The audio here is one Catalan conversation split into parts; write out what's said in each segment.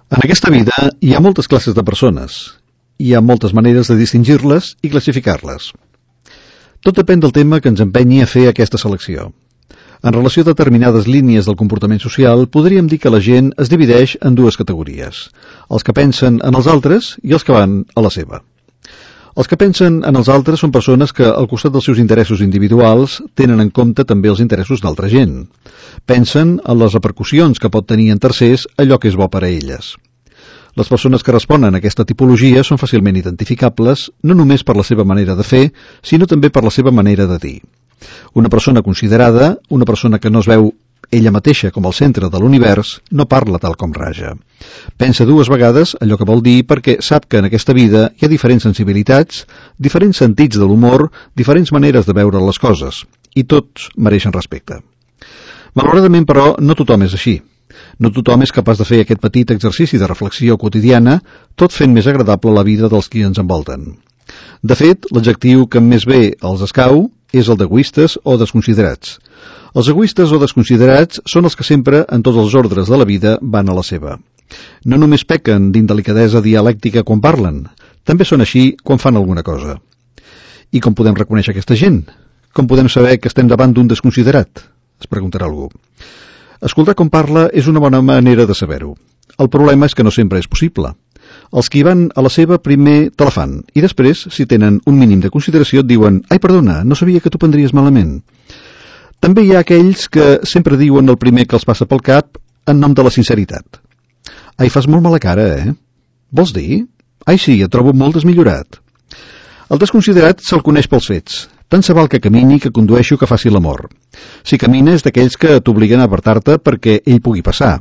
En aquesta vida hi ha moltes classes de persones. Hi ha moltes maneres de distingir-les i classificar-les. Tot depèn del tema que ens empenyi a fer aquesta selecció. En relació a determinades línies del comportament social, podríem dir que la gent es divideix en dues categories: els que pensen en els altres i els que van a la seva. Els que pensen en els altres són persones que, al costat dels seus interessos individuals, tenen en compte també els interessos d'altra gent. Pensen en les repercussions que pot tenir en tercers allò que és bo per a elles. Les persones que responen a aquesta tipologia són fàcilment identificables, no només per la seva manera de fer, sinó també per la seva manera de dir. Una persona considerada, una persona que no es veu ella mateixa com el centre de l'univers, no parla tal com raja. Pensa dues vegades allò que vol dir perquè sap que en aquesta vida hi ha diferents sensibilitats, diferents sentits de l'humor, diferents maneres de veure les coses, i tots mereixen respecte. Malauradament, però, no tothom és així. No tothom és capaç de fer aquest petit exercici de reflexió quotidiana, tot fent més agradable la vida dels qui ens envolten. De fet, l'adjectiu que més bé els escau és el d'egoistes o desconsiderats. Els egoistes o desconsiderats són els que sempre, en tots els ordres de la vida, van a la seva. No només pequen d'indelicadesa dialèctica quan parlen, també són així quan fan alguna cosa. I com podem reconèixer aquesta gent? Com podem saber que estem davant d'un desconsiderat? Es preguntarà algú. Escoltar com parla és una bona manera de saber-ho. El problema és que no sempre és possible. Els que hi van a la seva primer te la fan i després, si tenen un mínim de consideració, et diuen «Ai, perdona, no sabia que tu prendries malament». També hi ha aquells que sempre diuen el primer que els passa pel cap en nom de la sinceritat. «Ai, fas molt mala cara, eh? Vols dir? Ai, sí, et trobo molt desmillorat». El desconsiderat se'l coneix pels fets. Tant se val que camini, que condueixi o que faci l'amor. Si camina és d'aquells que t'obliguen a apartar-te perquè ell pugui passar.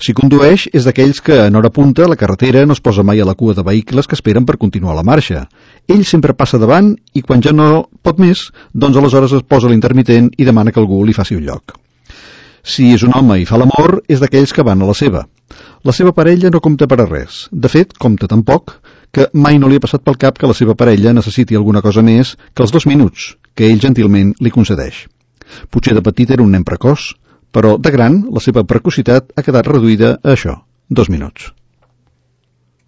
Si condueix és d'aquells que en hora punta a la carretera no es posa mai a la cua de vehicles que esperen per continuar la marxa. Ell sempre passa davant i quan ja no pot més, doncs aleshores es posa l'intermitent i demana que algú li faci un lloc. Si és un home i fa l'amor, és d'aquells que van a la seva. La seva parella no compta per a res. De fet, compta tan poc que mai no li ha passat pel cap que la seva parella necessiti alguna cosa més que els 2 minuts que ell gentilment li concedeix. Potser de petit era un nen precoç, però de gran la seva precocitat ha quedat reduïda a això, 2 minuts.